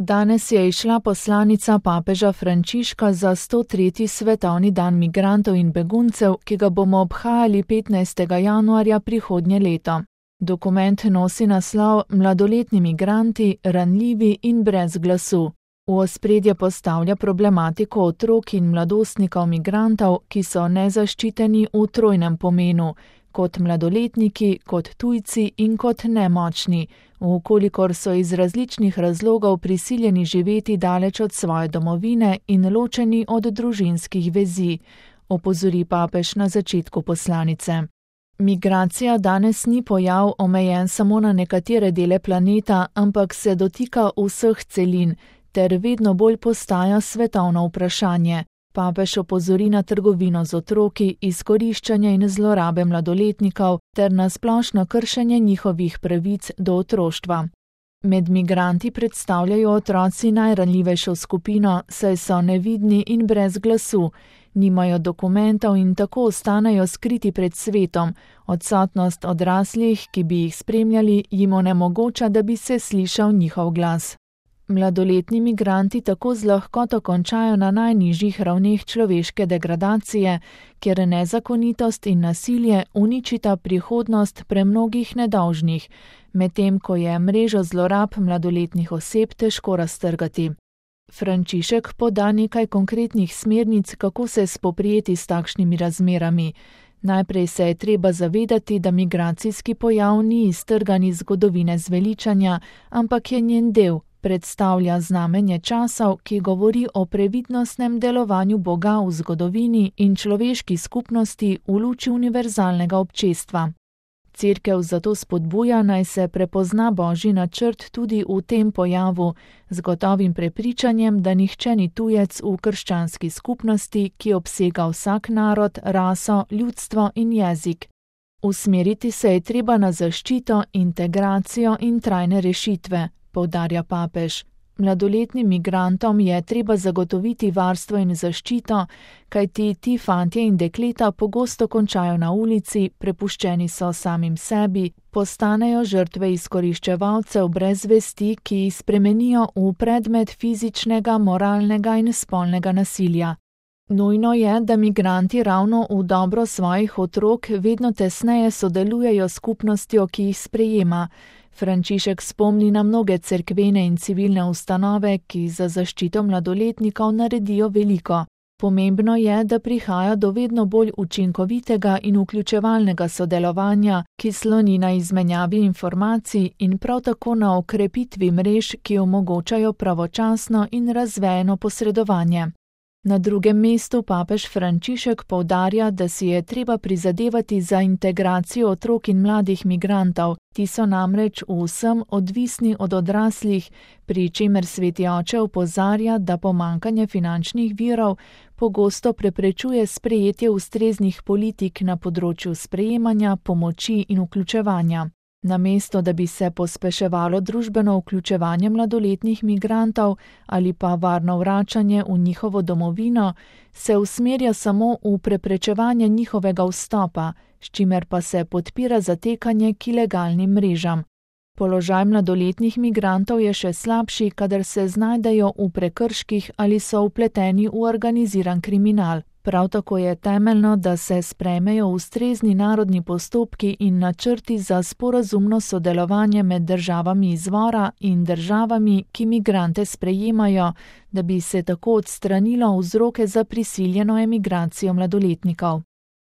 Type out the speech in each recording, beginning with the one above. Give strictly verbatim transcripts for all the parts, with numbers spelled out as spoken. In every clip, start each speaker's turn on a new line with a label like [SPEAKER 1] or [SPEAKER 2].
[SPEAKER 1] Danes je izšla poslanica papeža Frančiška za sto tretji svetovni dan migrantov in beguncev, ki ga bomo obhajali petnajstega januarja prihodnje leto. Dokument nosi naslov Mladoletni migranti, ranljivi in brez glasu. V ospredje postavlja problematiko otrok in mladostnikov migrantov, ki so nezaščiteni v trojnem pomenu, kot mladoletniki, kot tujci in kot nemočni, vkolikor so iz različnih razlogov prisiljeni živeti daleč od svoje domovine in ločeni od družinskih vezi, opozori papež na začetku poslanice. Migracija danes ni pojav omejen samo na nekatere dele planeta, ampak se dotika vseh celin, ter vedno bolj postaja svetovno vprašanje. Papež opozori na trgovino z otroki, izkoriščanje in zlorabe mladoletnikov ter na splošno kršenje njihovih pravic do otroštva. Med migranti predstavljajo otroci najranljivejšo skupino, saj so nevidni in brez glasu, nimajo dokumentov in tako ostanejo skriti pred svetom, odsotnost odraslih, ki bi jih spremljali, jim onemogoča, da bi se slišal njihov glas. Mladoletni migranti tako z lahkoto končajo na najnižjih ravneh človeške degradacije, kjer nezakonitost in nasilje uničita prihodnost premnogih nedolžnih, medtem ko je mrežo zlorab mladoletnih oseb težko raztrgati. Frančišek poda nekaj konkretnih smernic, kako se spoprijeti s takšnimi razmerami. Najprej se je treba zavedati, da migracijski pojav ni iztrgan iz zgodovine zveličanja, ampak je njen del. Predstavlja znamenje časov, ki govori o previdnostnem delovanju Boga v zgodovini in človeški skupnosti v luči univerzalnega občestva. Cerkev zato spodbuja, naj se prepozna Božji načrt tudi v tem pojavu, z gotovim prepričanjem, da nihče ni tujec v krščanski skupnosti, ki obsega vsak narod, raso, ljudstvo in jezik. Usmeriti se je treba na zaščito, integracijo in trajne rešitve, poudarja papež. Mladoletnim migrantom je treba zagotoviti varstvo in zaščito, kajti ti fantje in dekleta pogosto končajo na ulici, prepuščeni so samim sebi, postanejo žrtve izkoriščevalcev brez vesti, ki jih spremenijo v predmet fizičnega, moralnega in spolnega nasilja. Nujno je, da migranti ravno v dobro svojih otrok vedno tesneje sodelujejo s skupnostjo, ki jih sprejema. Frančišek spomni na mnoge cerkvene in civilne ustanove, ki za zaščito mladoletnikov naredijo veliko. Pomembno je, da prihaja do vedno bolj učinkovitega in vključevalnega sodelovanja, ki sloni na izmenjavi informacij in prav tako na okrepitvi mrež, ki omogočajo pravočasno in razvejeno posredovanje. Na drugem mestu papež Frančišek poudarja, da si je treba prizadevati za integracijo otrok in mladih migrantov. Ti so namreč v vsem odvisni od odraslih, pri čemer sveti oče opozarja, da pomanjkanje finančnih virov pogosto preprečuje sprejetje ustreznih politik na področju sprejemanja, pomoči in vključevanja. Namesto, da bi se pospeševalo družbeno vključevanje mladoletnih migrantov ali pa varno vračanje v njihovo domovino, se usmerja samo v preprečevanje njihovega vstopa, s čimer pa se podpira zatekanje k ilegalnim mrežam. Položaj mladoletnih migrantov je še slabši, kadar se znajdejo v prekrških ali so vpleteni v organiziran kriminal. Prav tako je temeljno, da se sprejmejo ustrezni narodni postopki in načrti za sporazumno sodelovanje med državami izvora in državami, ki migrante sprejemajo, da bi se tako odstranilo vzroke za prisiljeno emigracijo mladoletnikov.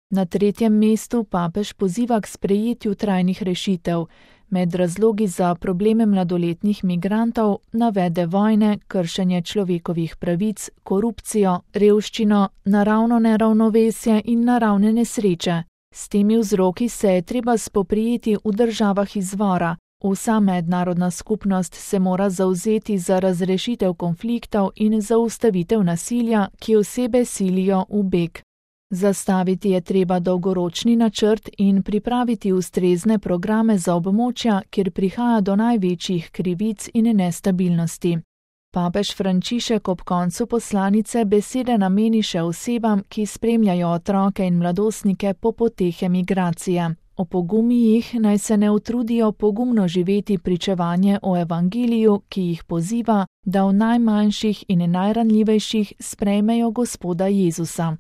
[SPEAKER 1] Na tretjem mestu papež poziva k sprejetju trajnih rešitev. Med razlogi za probleme mladoletnih migrantov navede vojne, kršenje človekovih pravic, korupcijo, revščino, naravno neravnovesje in naravne nesreče. S temi vzroki se je treba spoprijeti v državah izvora. Vsa mednarodna skupnost se mora zavzeti za razrešitev konfliktov in zaustavitev nasilja, ki osebe silijo v beg. Zastaviti je treba dolgoročni načrt in pripraviti ustrezne programe za območja, kjer prihaja do največjih krivic in nestabilnosti. Papež Frančišek ob koncu poslanice besede nameni še osebam, ki spremljajo otroke in mladostnike po poteh emigracije. Opogumi jih, naj se ne utrudijo pogumno živeti pričevanje o evangeliju, ki jih poziva, da v najmanjših in najranljivejših sprejmejo Gospoda Jezusa.